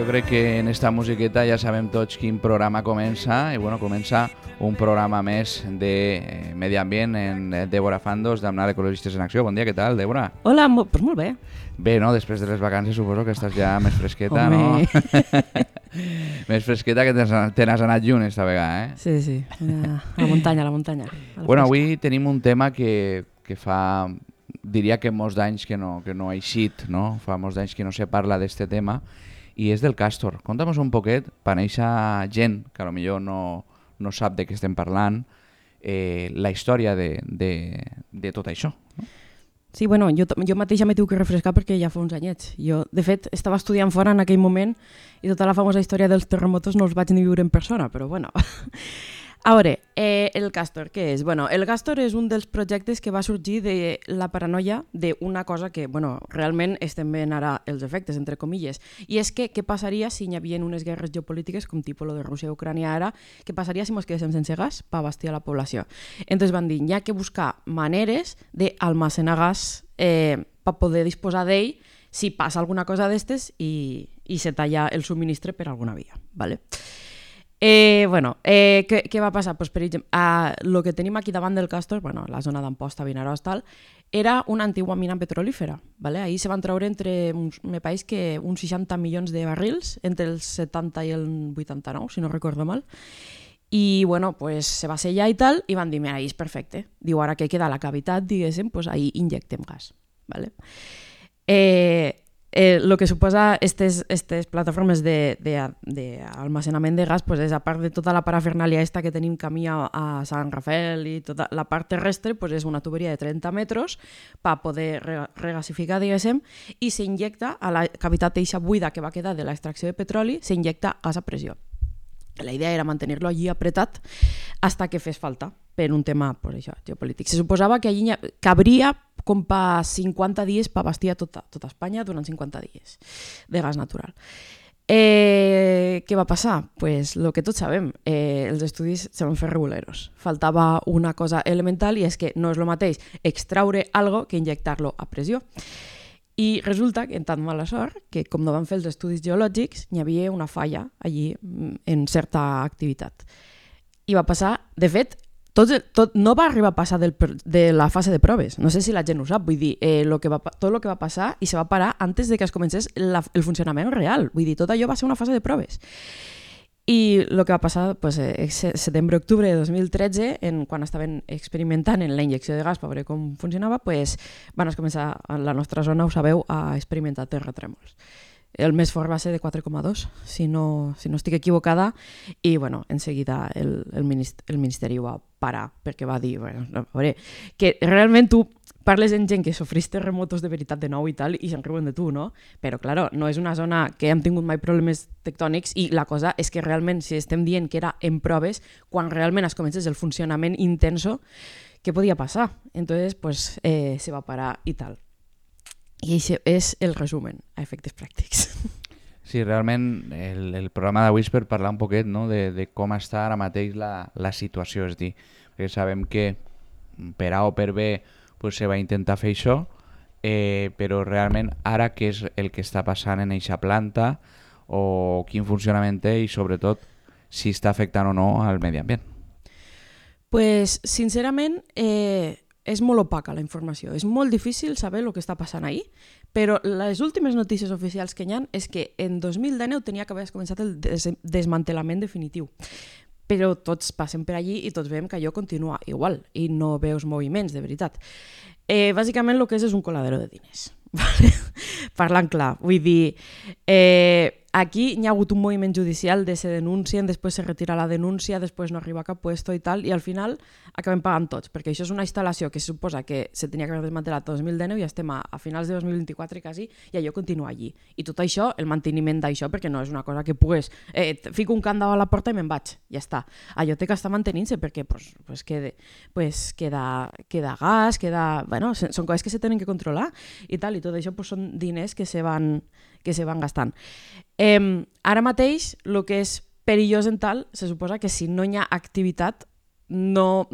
crec que en esta musiqueta ja sabem tots quin programa comença, i bueno, comença un programa més de medi ambient en Débora Fandos, d'Amnar Ecologistes en Acció. Bon dia, què tal, Débora? Hola, pues molt bé. Bé, no? Després de les vacances suposo que estàs ja més fresqueta, no? Més fresqueta, que te n'has anat lluny esta vegada, eh? Sí, a la muntanya, a la muntanya. Bueno, avui tenim un tema que fa, diria que molts d'anys que no ha eixit, no? Fa molts d'anys que no se parla d'este tema, i és del Càstor. Conta'm un poquet, per néixer gent que potser no sap de què estem parlant, la història de tot això. No? Sí, bueno, jo mateixa m'he tingut que refrescar perquè ja fa uns anyets. Jo, de fet, estava estudiant fora en aquell moment i tota la famosa història dels terremotos no els vaig ni viure en persona, però bueno. A veure, el Càstor, què és? Bueno, el Càstor és un dels projectes que va sorgir de la paranoia d'una cosa que, bueno, realment estem veient ara els efectes, entre comilles, i és que què passaria si hi havia unes guerres geopolítiques com tipus lo de Rússia i Ucrània ara, què passaria si ens quedéssim sense gas per abastir a la població. Entonces van dir, hi ha que buscar maneres d'almacenar gas per poder disposar d'ell si passa alguna cosa d'estes i se talla el subministre per alguna via, ¿vale? Què va passar? Pues, per exemple, el que tenim aquí davant del Càstor, bueno, la zona d'Amposta, Vinaròs, tal, era una antigua mina petrolífera. ¿Vale? Ahí se van treure me pareix que uns 60 milions de barrils entre el 70 i el 89, si no recordo mal. I bueno, pues, se va sellar i tal, i van dir, mira, ahí és perfecte. Diu, ara que queda la cavitat, diguéssim, pues, ahí injectem gas. ¿Vale? Lo que suposa aquestes plataformes d'almacenament de gas pues és, a part de tota la parafernàlia esta que tenim camí a Sant Rafael i tota la part terrestre, pues és una tuberia de 30 metres per poder regasificar, diguéssim, i s'injecta a la cavitat eixa buida que va quedar de l'extracció de petroli, s'injecta gas a pressió. La idea era mantenir-lo allí apretat hasta que fes falta per un tema pues, això, geopolític. Se suposava que allí cabria com per 50 dies per abastir a tota Espanya durant 50 dies de gas natural. Què va passar? Pues el que tots sabem, els estudis se van fer reguleros. Faltava una cosa elemental i és que no és el mateix extraure algo que injectar-lo a pressió. I resulta que, en tant mala sort, que com no van fer els estudis geològics, hi havia una falla allí en certa activitat. I va passar, de fet, tot no va arribar a passar de la fase de proves. No sé si la gent ho sap, vull dir, tot el que va passar i se va parar antes de que es comencés el funcionament real. Vull dir, tot allò va ser una fase de proves. I el que va passar, pues, setembre-octubre de 2013, quan estaven experimentant en la injecció de gas per veure com funcionava, pues, van començar a la nostra zona, ho sabeu, a experimentar terratrèmols. El més fort va ser de 4,2, si no estic equivocada, i bueno, en seguida el Ministeri ho va parar, perquè va dir, bueno, a veure, que realment tu parles amb gent que sofrís terremotos de veritat de nou i tal, i se'n riuen de tu, no? Però, claro, no és una zona que hem tingut mai problemes tectònics, i la cosa és que realment, si estem dient que era en proves, quan realment es comencés el funcionament intenso, què podia passar? Entonces, pues, se va parar i tal. I això és el resumen a efectes pràctics. Sí, realment el programa d'avui és per parlar un poquet, no? de com està ara mateix la situació, és dir, perquè sabem que per A o per B pues, se va intentar fer això, però realment ara què és el que està passant en eixa planta o quin funcionament té i sobretot si està afectant o no al medi ambient. Pues, sincerament, és molt opaca la informació. És molt difícil saber el que està passant ahí, però les últimes notícies oficials que hi ha és que en 2019 tenia que haver començat el desmantelament definitiu. Però tots passen per allí i tots veiem que allò continua igual i no veus moviments, de veritat. Bàsicament el que és un coladero de diners. Parlant clar, vull dir, aquí hi ha hagut un moviment judicial de se denuncien, després se retira la denúncia, després no arriba a cap puesto i tal, i al final acabem pagant tots, perquè això és una instal·lació que se suposa que se tenia que haver desmantelat el 2019 i estem a finals de 2024 quasi, i allò continua allí. I tot això, el manteniment d'això, perquè no és una cosa que pugues, fico un candau a la porta i me'n vaig, ja està. Allò té que estar mantenint-se perquè queda gas, bueno, són coses que se tenen que controlar i tal, i tot això són diners que se van gastant. Ara mateix, el que és perillós en tal, se suposa que si no hi ha activitat, no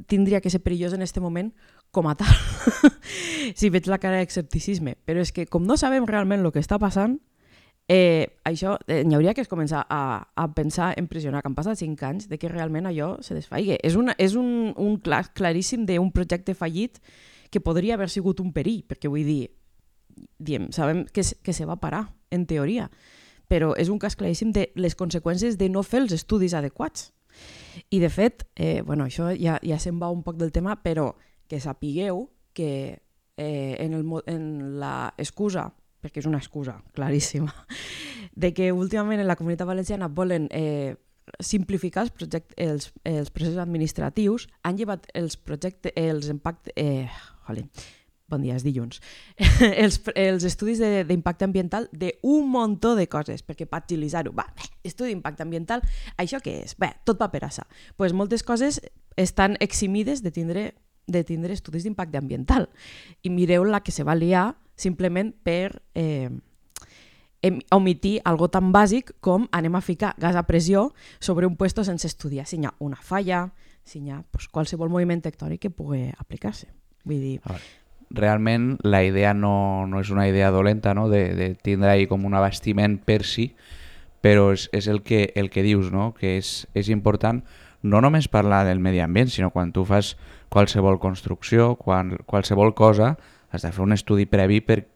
tindria que ser perillós en aquest moment com a tal. Si veig la cara d'escepticisme. Però és que com no sabem realment el que està passant, Això n'hi hauria que començar a pensar en pressionar, que han passat 5 anys de que realment allò se desfaigui. És un claríssim d'un projecte fallit que podria haver sigut un perill, perquè vull dir, sabem que se va parar, en teoria, però és un cas claríssim de les conseqüències de no fer els estudis adequats. I de fet, això ja se'n va un poc del tema, però que sapigueu que en la excusa, perquè és una excusa claríssima, de que últimament en la Comunitat Valenciana volen simplificar els processos administratius, han llevat els impactes... Bon dia, és dilluns. els estudis d'impacte ambiental d'un muntó de coses, perquè per agilitzar-ho, estudi d'impacte ambiental, això què és? Tot paperassa. Pues moltes coses estan eximides de tindre estudis d'impacte ambiental. I mireu la que se va liar simplement per omitir algo tan bàsic com anem a ficar gas a pressió sobre un puesto sense estudiar si hi ha una falla, si hi ha qualsevol moviment tectònic que pugui aplicar-se. Vull dir... Realment la idea no és una idea dolenta, no? de tindre ahí com un abastiment per si, però és el que dius, no? Que és important no només parlar del medi ambient, sinó quan tu fas qualsevol construcció, qualsevol cosa, has de fer un estudi previ per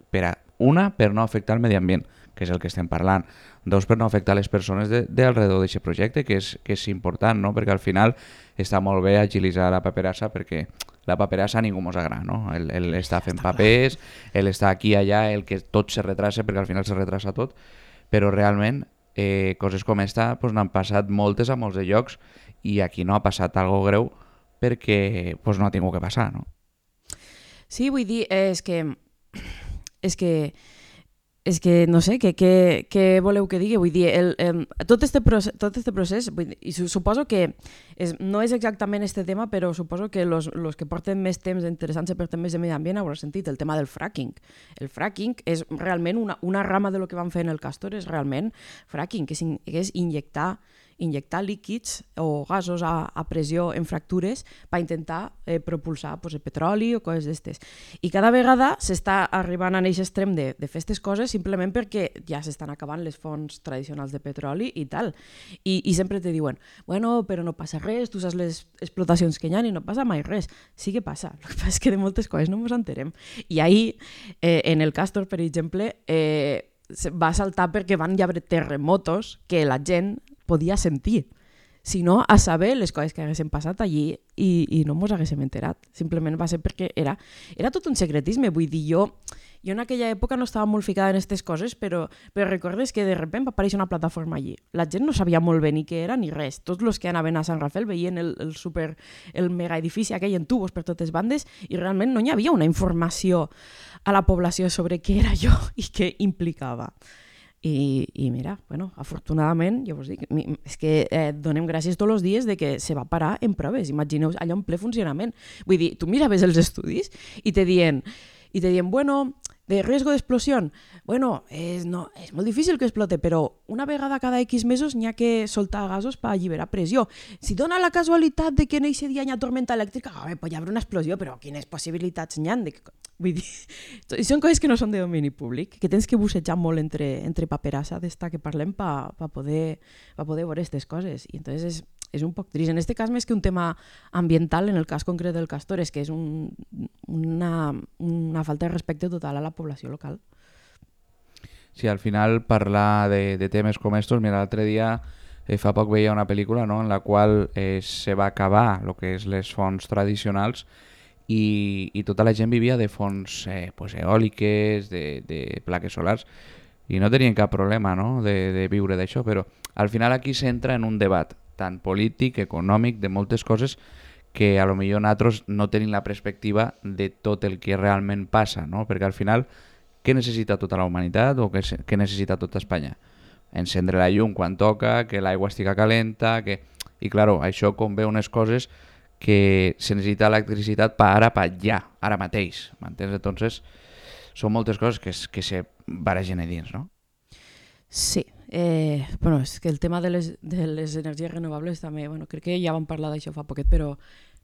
no afectar el medi ambient, que és el que estem parlant. 2, per no afectar les persones d'alrededor d'aquest projecte, que és important, no? Perquè al final està molt bé agilitzar la paperassa, perquè la paperassa a ningú mos agrada, no? Ell està fent papers, ell està aquí i allà, el que tot se retrasa, perquè al final se retrasa tot, però realment coses com esta n'han passat moltes a molts de llocs i aquí no ha passat algo greu perquè no ha tingut que passar, no? Sí, vull dir, és que no sé, què voleu que digui? Vull dir, tot este procés, vull dir, i suposo que no és exactament este tema, però suposo que los que porten més temps interessant-se per temes de medi ambient haurà sentit el tema del fracking. El fracking és realment una rama de lo que van fer en el Castor, és realment fracking, que és injectar líquids o gasos a pressió en fractures per intentar propulsar el petroli o coses d'estes. I cada vegada s'està arribant a aquest extrem de fer aquestes coses simplement perquè ja s'estan acabant les fonts tradicionals de petroli i tal. I sempre te diuen, bueno, però no passa res, tu saps les explotacions que hi ha i no passa mai res. Sí que passa, el que passa és que de moltes coses no ens enterem. I ahir, en el Castor, per exemple, va saltar perquè van haver terremotos que la gent podia sentir, sinó a saber les coses que haguessin passat allí i no ens haguéssim enterat. Simplement va ser perquè era tot un secretisme. Vull dir, jo en aquella època no estava molt ficada en aquestes coses, però recordes que de sobte va aparèixer una plataforma allí. La gent no sabia molt bé ni què era ni res. Tots els que anaven a Sant Rafael veien el mega edifici aquell en tubos per totes bandes i realment no hi havia una informació a la població sobre què era allò i què implicava. I mira, afortunadament, jo vos dic, és que donem gràcies tots els dies de que se va parar en proves. Imagineu allò en ple funcionament. Vull dir, tu miraves els estudis i te dient, bueno, de riesgo d'explosió, bueno, és molt difícil que explote, però una vegada cada X mesos n'hi ha que soltar gasos per alliberar pressió. Si dona la casualitat de que en aquest dia hi ha tormenta elèctrica, pues hi haurà una explosió, però quines possibilitats n'hi ha? Vull dir, són coses que no són de domini públic, que tens que bussejar molt entre paperassa d'esta que parlem per poder veure aquestes coses. I entonces és un poc trist. En aquest cas, més que un tema ambiental, en el cas concret del Castor, és que és una falta de respecte total a la població local. Sí, al final parlar de temes com estos, mira, l'altre dia fa poc veia una pel·lícula, no?, en la qual se va acabar el que és les fonts tradicionals i tota la gent vivia de fonts eòliques, de plaques solars, i no tenien cap problema, no?, de viure d'això, però al final aquí s'entra en un debat tant polític, econòmic, de moltes coses que a lo millor nosaltres no tenim la perspectiva de tot el que realment passa, no? Perquè al final, què necessita tota la humanitat o què necessita tota Espanya? Encendre la llum quan toca, que l'aigua estigui calenta, i clar, això convé unes coses que se necessita electricitat per allà, ara mateix, m'entens? Entonces, són moltes coses que se barregen a dins, no? Sí, és que el tema de les energies renovables també, crec que ja vam parlar d'això fa poquet, però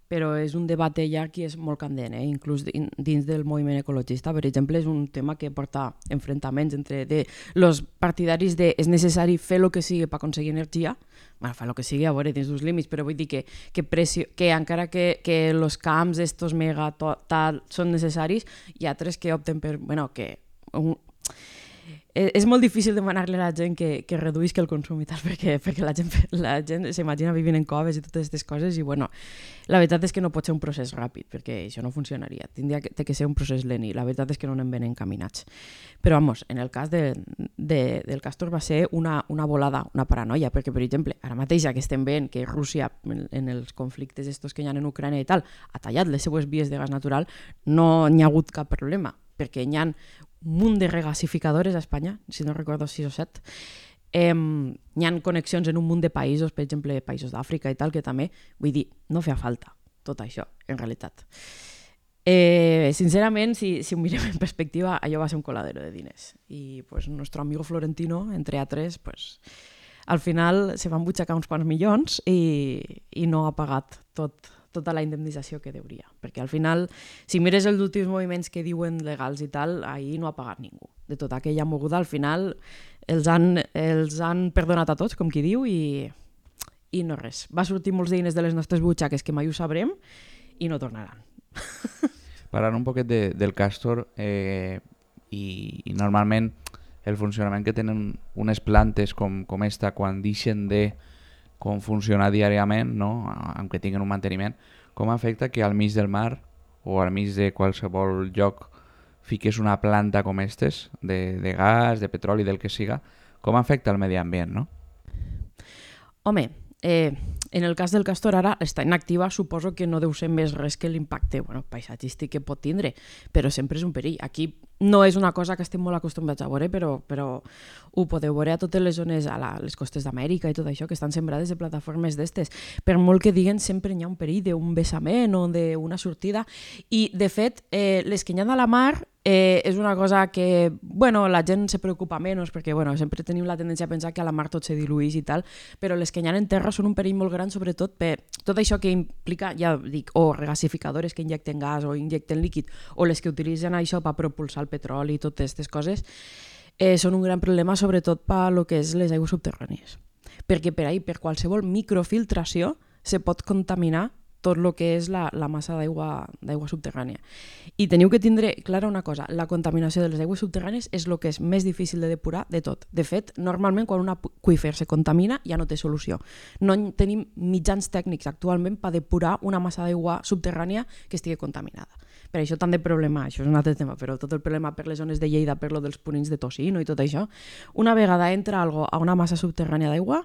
però és un debat ja que és molt candent, inclús dins del moviment ecologista. Per exemple, és un tema que porta enfrontaments entre els partidaris de és necessari fer el que sigui per aconseguir energia, fa el que sigui a veure dins dels límits, però vull dir que encara que els camps estos mega tal són necessaris, hi ha altres que opten per, que és molt difícil demanar-li a la gent que reduïsca el consum i tal, perquè la gent s'imagina vivint en coves i totes aquestes coses i la veritat és que no pot ser un procés ràpid, perquè això no funcionaria. Tindria que ser un procés lent i la veritat és que no anem ben encaminats. Però, en el cas del Castor va ser una volada, una paranoia, perquè, per exemple, ara mateix que estem veient que Rússia, en els conflictes estos que hi ha en Ucrània i tal, ha tallat les seues vies de gas natural, no n'hi ha hagut cap problema, perquè hi ha un munt de regasificadores a Espanya, si no recordo 6 o 7. Hi ha connexions en un munt de països, per exemple, països d'Àfrica i tal, que també, vull dir, no feia falta tot això, en realitat. Sincerament, si ho mirem en perspectiva, allò va ser un coladero de diners. I nuestro amigo Florentino, entre altres, al final se van butxacar uns quants milions i no ha pagat tota la indemnització que deuria. Perquè al final, si mires els últims moviments que diuen legals i tal, ahir no ha pagat ningú. De tota aquella moguda, al final els han perdonat a tots, com qui diu, i no res. Va sortir molts diners de les nostres butxaques que mai ho sabrem i no tornaran. Parlant un poquet del Castor i normalment el funcionament que tenen unes plantes com esta quan deixen de com funciona diàriament, no? Aunque tinguin un manteniment, com afecta que al mig del mar o al mig de qualsevol lloc fiques una planta com aquestes, de gas, de petroli, del que siga, com afecta el medi ambient, no? Home, en el cas del Castor ara està inactiva, suposo que no deu ser més res que l'impacte paisatgístic que pot tindre, però sempre és un perill. Aquí no és una cosa que estem molt acostumats a veure, però ho podeu veure a totes les zones, a les costes d'Amèrica i tot això, que estan sembrades de plataformes d'estes. Per molt que diguen, sempre hi ha un perill d'un vessament o d'una sortida. I, de fet, les que hi ha a la mar és una cosa que la gent se preocupa menys, perquè sempre tenim la tendència a pensar que a la mar tot se diluïx i tal, però les que hi ha en terra són un perill molt gran, sobretot per tot això que implica, ja dic, o regasificadores que injecten gas o injecten líquid, o les que utilitzen això per propulsar el petroli i totes aquestes coses, són un gran problema sobretot per lo que és les aigües subterrànies. Perquè per ahí, per qualsevol microfiltració, se pot contaminar tot el que és la massa d'aigua subterrània. I teniu que tindre clara una cosa, la contaminació de les aigües subterrànies és el que és més difícil de depurar de tot. De fet, normalment quan un aqüífer se contamina ja no té solució. No tenim mitjans tècnics actualment per depurar una massa d'aigua subterrània que estigui contaminada. Per això tant de problema, això és un altre tema, però tot el problema per les zones de Lleida, per lo dels purins de tocino i tot això, una vegada entra algo a una massa subterrània d'aigua,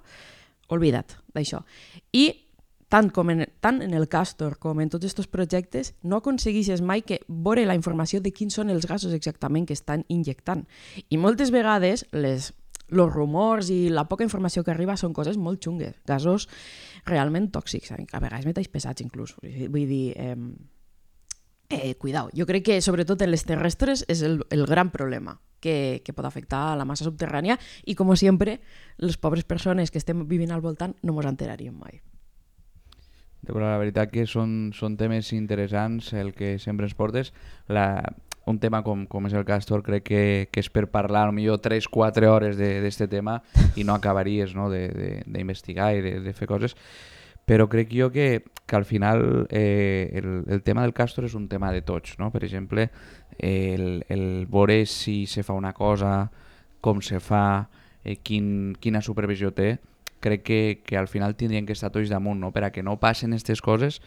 oblida't d'això. I tant en el Castor com en tots aquests projectes, no aconsegueixes mai que veure la informació de quins són els gasos exactament que estan injectant. I moltes vegades els rumors i la poca informació que arriba són coses molt xungues, gasos realment tòxics, a vegades metalls pesats inclús. Vull dir, cuidao. Jo crec que sobretot en les terrestres és el gran problema que pot afectar a la massa subterrània i, com sempre, les pobres persones que estem vivint al voltant no ens enteraríem mai. Però la veritat que són temes interessants el que sempre ens portes. Un tema com és el Castor crec que és per parlar potser 3-4 hores d'aquest tema i no acabaries d'investigar i de fer coses. Però crec jo que al final el tema del Castor és un tema de tots, no? Per exemple, el veure si se fa una cosa, com se fa, quina supervisió té, crec que al final tindrien que estar tots damunt, no? Per a que no passen aquestes coses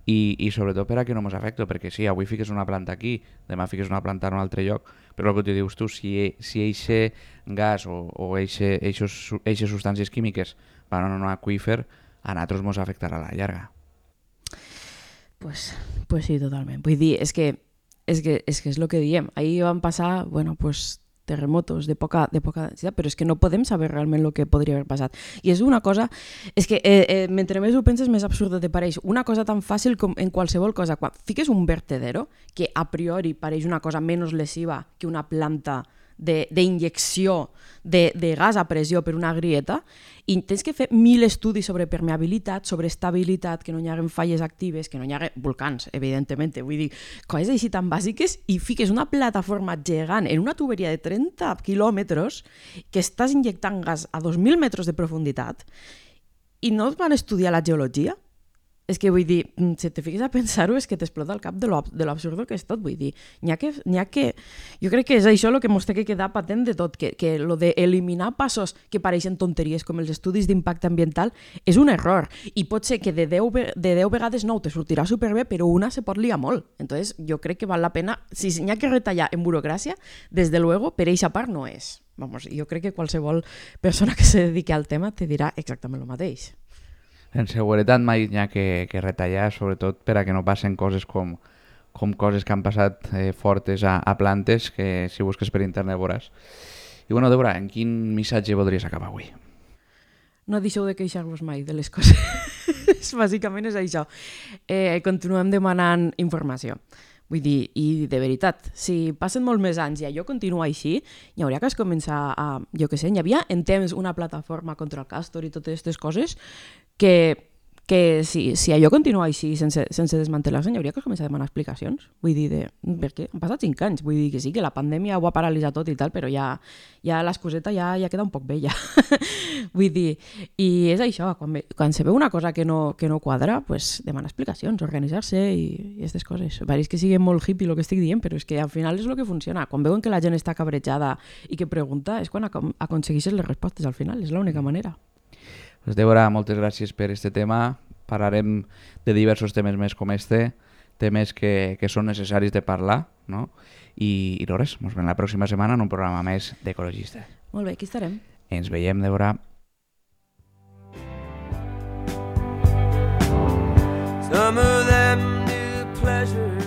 i sobretot per a que no ens afecti, perquè sí, avui fiques una planta aquí, demà fiques una planta en un altre lloc, però el que tu dius tu, si eixe gas o eixes substàncies químiques van a un aqüífer, a nosaltres ens afectarà a la llarga. Pues sí, totalment. Vull dir, és que és el que diem. Ahir van passar, terremotos de poca densitat, però és que no podem saber realment el que podria haver passat. I és una cosa, és que mentre més ho penses més absurda te pareix. Una cosa tan fàcil com en qualsevol cosa, quan fiques un vertedero, que a priori pareix una cosa menys lesiva que una planta d'injecció de gas a pressió per una grieta, i tens que fer 1.000 estudis sobre permeabilitat, sobre estabilitat, que no hi hagi falles actives, que no hi hagi volcans, evidentment. Vull dir, coses així tan bàsiques, i fiques una plataforma gegant en una tuberia de 30 quilòmetres que estàs injectant gas a 2.000 metres de profunditat i no van estudiar la geologia. És que vull dir, si te fiques a pensar-ho, és que t'explota el cap de l'absurdo que és tot. Vull dir, n'hi ha que... Jo crec que és això el que ens té que quedar patent de tot, que lo d'eliminar passos que pareixen tonteries com els estudis d'impacte ambiental és un error. I pot ser que de 10 vegades 9 te sortirà superbé, però una se pot liar molt. Entonces, jo crec que val la pena... Si n'hi ha que retallar en burocràcia, des de luego, per eixa part no és. Vamos, jo crec que qualsevol persona que se dediqui al tema te dirà exactament el mateix. En seguretat mai n'hi ha que retallar, sobretot per a que no passen coses com coses que han passat fortes a plantes, que si busques per internet veuràs. I bueno, Débora, en quin missatge voldries acabar avui? No deixeu de queixar-vos mai de les coses. Bàsicament és això. Continuem demanant informació. Vull dir, i de veritat, si passen molt més anys i allò continua així, hi hauria que es començar a... Jo què sé, hi havia en temps una plataforma contra el Castor i totes aquestes coses que si allò continua així sense desmantellar-se, hi hauria que començar a demanar explicacions. Vull dir, perquè han passat 5 anys, vull dir que sí, que la pandèmia ho ha paralitzat tot i tal, però ja l'excuseta ja queda un poc vella. Vull dir, i és això, quan se veu una cosa que no quadra, pues demanar explicacions, organitzar-se i aquestes coses. Pareix que sigui molt hippie el que estic dient, però és que al final és el que funciona. Quan veuen que la gent està cabrejada i que pregunta, és quan aconsegueixes les respostes al final, és l'única manera. Pues Débora, moltes gràcies per este tema. Parlarem de diversos temes més com este, temes que són necessaris de parlar, no? I res, ens veiem la pròxima setmana en un programa més d'Ecologista. Molt bé, aquí estarem. Ens veiem, Débora. Some of them do pleasure